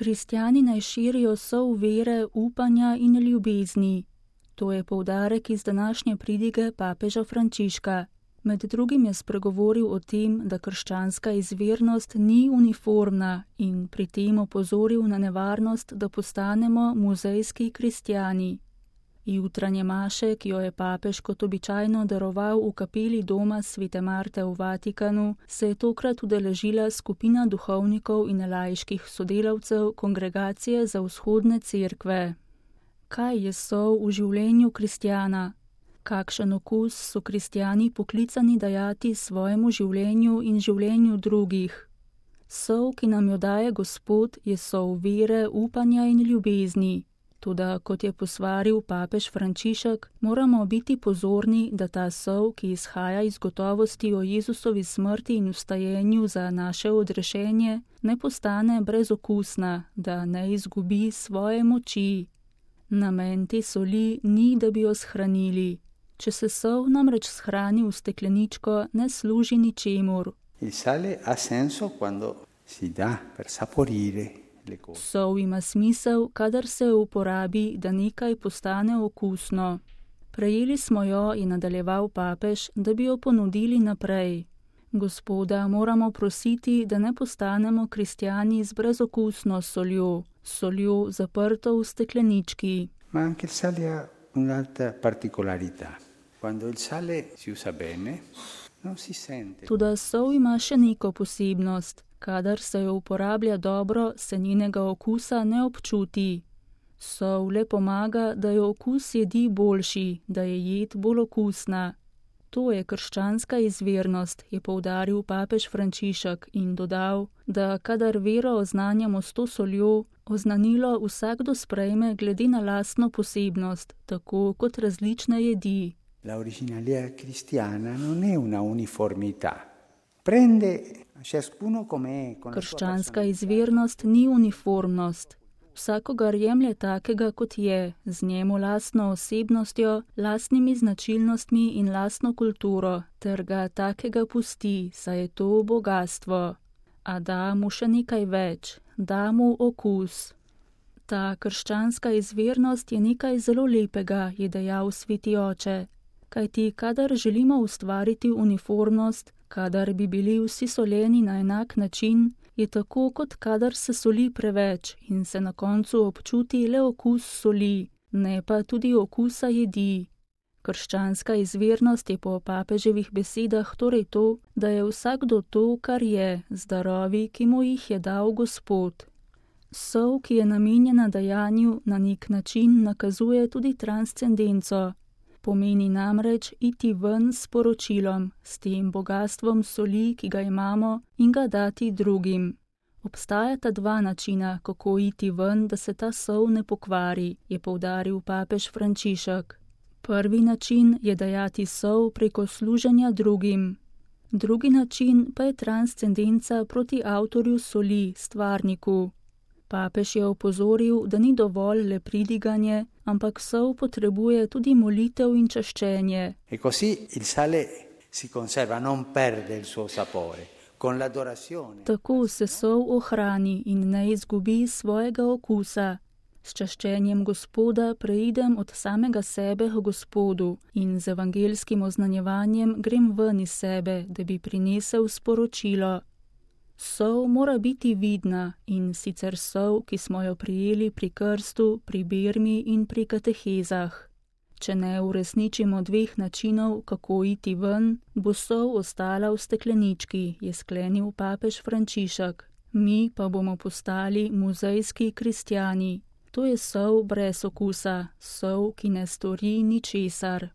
Kristjani naj širijo sol vere, upanja in ljubezni. To je poudarek iz današnje pridige papeža Frančiška. Med drugim je spregovoril o tem, da krščanska izvirnost ni uniformna in pri tem opozoril na nevarnost, da postanemo muzejski kristjani. Jutranje maše, ki jo je papež kot običajno daroval v kapeli doma Svete Marte v Vatikanu, se je tokrat udeležila skupina duhovnikov in laiških sodelavcev Kongregacije za vzhodne cerkve. Kaj je sol v življenju kristjana? Kakšen okus so kristjani poklicani dajati svojemu življenju in življenju drugih? Sol, ki nam jo daje Gospod, je sol vere, upanja in ljubezni. Toda, kot je posvaril papež Frančišek, moramo biti pozorni, da ta sol, ki izhaja iz gotovosti o Jezusovi smrti in vstajenju za naše odrešenje, ne postane brezokusna, da ne izgubi svoje moči. Namen te soli ni, da bi jo shranili. Če se sol namreč shrani v stekleničko, ne služi ničemur. Il sale ha senso quando si dà per saporire le cose. Sol ima smisel, kadar se uporabi, da nekaj postane okusno. Prejeli smo jo, je nadaljeval papež, da bi jo ponudili naprej. Gospoda moramo prositi, da ne postanemo kristjani z brezokusno soljo zaprto v steklenički. Ma anche il sale ha un'altra particolarità. Quando il sale si usa bene, non si sente. Toda sol ima še neko posebnost. Kadar se jo uporablja dobro, se njenega okusa ne občuti. Sol le pomaga, da je okus jedi boljši, da je jed bolj okusna. To je krščanska izvirnost, je poudaril papež Frančišek in dodal, da kadar vero oznanjamo s to soljo, oznanilo vsakdo sprejme glede na lastno posebnost, tako kot različne jedi. La originalità cristiana non è una uniformità. Prende ciascuno com'è. Krščanska izvirnost ni uniformnost. Vsakogar jemlje takega, kot je, z njemu lastno osebnostjo, lastnimi značilnostmi in lastno kulturo, ter ga takega pusti, saj je to bogastvo. A da mu še nekaj več, da mu okus. Ta krščanska izvirnost je nekaj zelo lepega, je dejal sveti oče. Kajti, kadar želimo ustvariti uniformnost, kadar bi bili vsi soljeni na enak način, je tako, kot kadar se soli preveč in se na koncu občuti le okus soli, ne pa tudi okusa jedi. Krščanska izvirnost je po papeževih besedah torej to, da je vsakdo to, kar je, z darovi, ki mu jih je dal Gospod. Sol, ki je namenjena dajanju, na nek način nakazuje tudi transcendenco. Pomeni namreč iti ven s poročilom, s tem bogastvom soli, ki ga imamo, in ga dati drugim. Obstajata dva načina, kako iti ven, da se ta sol ne pokvari, je poudaril papež Frančišek. Prvi način je dajati sol preko služenja drugim. Drugi način pa je transcendenca proti avtorju soli, stvarniku. Papež je opozoril, da ni dovolj le pridiganje, ampak sol potrebuje tudi molitev in čaščenje. E così il sale si conserva, non perde il suo sapore. Con l'adorazione. Tako se sol ohrani in ne izgubi svojega okusa. S čaščenjem Gospoda preidem od samega sebe k Gospodu in z evangelskim oznanjevanjem grem ven iz sebe, da bi prinesel sporočilo. Sol mora biti vidna in sicer sol, ki smo jo prijeli pri krstu, pri birmi in pri katehezah. Če ne uresničimo dveh načinov, kako iti ven, bo sol ostala v steklenički, je sklenil papež Frančišek. Mi pa bomo postali muzejski kristjani. To je sol brez okusa, sol, ki ne stori ničesar.